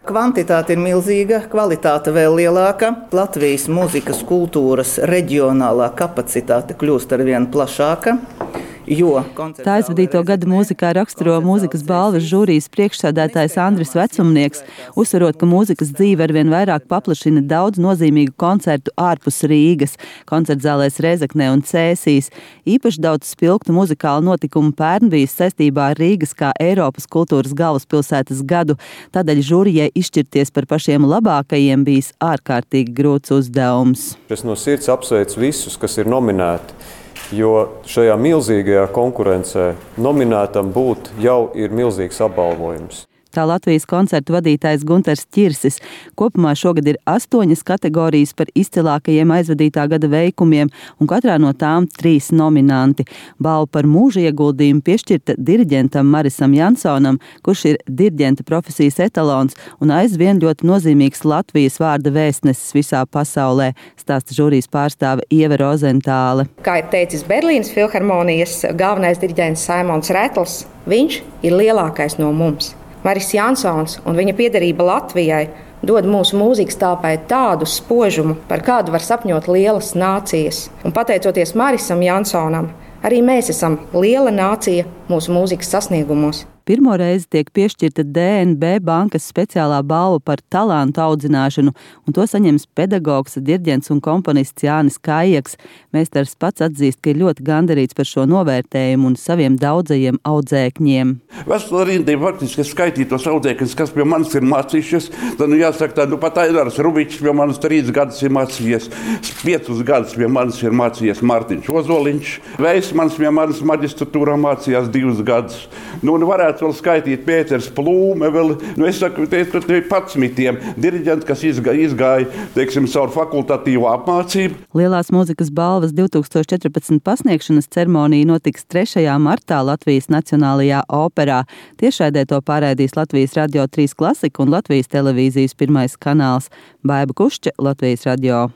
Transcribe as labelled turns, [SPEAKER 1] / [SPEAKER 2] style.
[SPEAKER 1] Kvantitāte ir milzīga, kvalitāte vēl lielāka. Latvijas mūzikas kultūras reģionālā kapacitāte kļūst arvien plašāka.
[SPEAKER 2] Tā aizvadīto gadu mūzikā raksturo mūzikas balvas žūrijas priekšsēdētājs Andris Vecumnieks, uzsverot, ka mūzikas dzīve arvien vairāk paplašina daudz nozīmīgu koncertu ārpus Rīgas, koncertzālēs Rēzeknē un Cēsīs. Īpaši daudz spilgtu muzikālu notikumu pērn bijis saistībā ar Rīgas kā Eiropas kultūras galvaspilsētas gadu, tādēļ žūrijai izšķirties par pašiem labākajiem bijis ārkārtīgi grūts uzdevums.
[SPEAKER 3] Es no sirds apsveicu visus, kas ir nominēti. Jo šajā milzīgajā konkurencē nominētam būt jau ir milzīgs apbalvojums.
[SPEAKER 2] Tā Latvijas koncertu vadītājs Gunters Ķirsis. Kopumā šogad ir 8 kategorijas par izcilākajiem aizvadītā gada veikumiem, un katrā no tām 3 nominanti. Balva par mūža ieguldījumu piešķirta diriģentam Marisam Jansonam, kurš ir diriģenta profesijas etalons un aizvien ļoti nozīmīgs Latvijas vārda vēstnesis visā pasaulē, stāsta žūrijas pārstāve Ieva Rozentāle.
[SPEAKER 4] Kā ir teicis Berlīnas filharmonijas galvenais diriģents Saimons Retls, viņš ir lielākais no mums. Maris Jansons un viņa piederība Latvijai dod mūsu mūzikas telpai tādu spožumu, par kādu var sapņot lielas nācijas. Un pateicoties Marisam Jansonam, arī mēs esam liela nācija mūsu mūzikas sasniegumos.
[SPEAKER 2] Pirmo reizi tiek piešķirta DNB bankas speciālā balva par talantu audzināšanu, un to saņems pedagogs, diriģents un komponists Jānis Kājaks. Meistars pats atzīst, ka ir ļoti gandarīts par šo novērtējumu un saviem daudzajiem audzēkņiem.
[SPEAKER 5] Veselu rindu faktiski es skaitīju tos audzēkņus, kas pie manis ir mācījušies. Tad, jāsaka, pat Ainārs Rubičs pie manis 3 gadus ir mācījies, 5 gadus pie manis ir mācījies Mārtiņš Ozoliņš, Veismans pie manis maģistratūrā mācījās 2 gadus. Varētu vēl skaitīt Pēters Plūme, es saku, te 11 diriģenti, kas izgāja, teiksim, savu fakultatīvo apmācību.
[SPEAKER 2] Lielās mūzikas balvas 2014 pasniegšanas ceremonija notiks 3. martā Latvijas Nacionālajā operā. Tiešraidē to pārraidīs Latvijas Radio 3 Klasika un Latvijas televīzijas 1. kanāls. Baiba Kušķe, Latvijas Radio.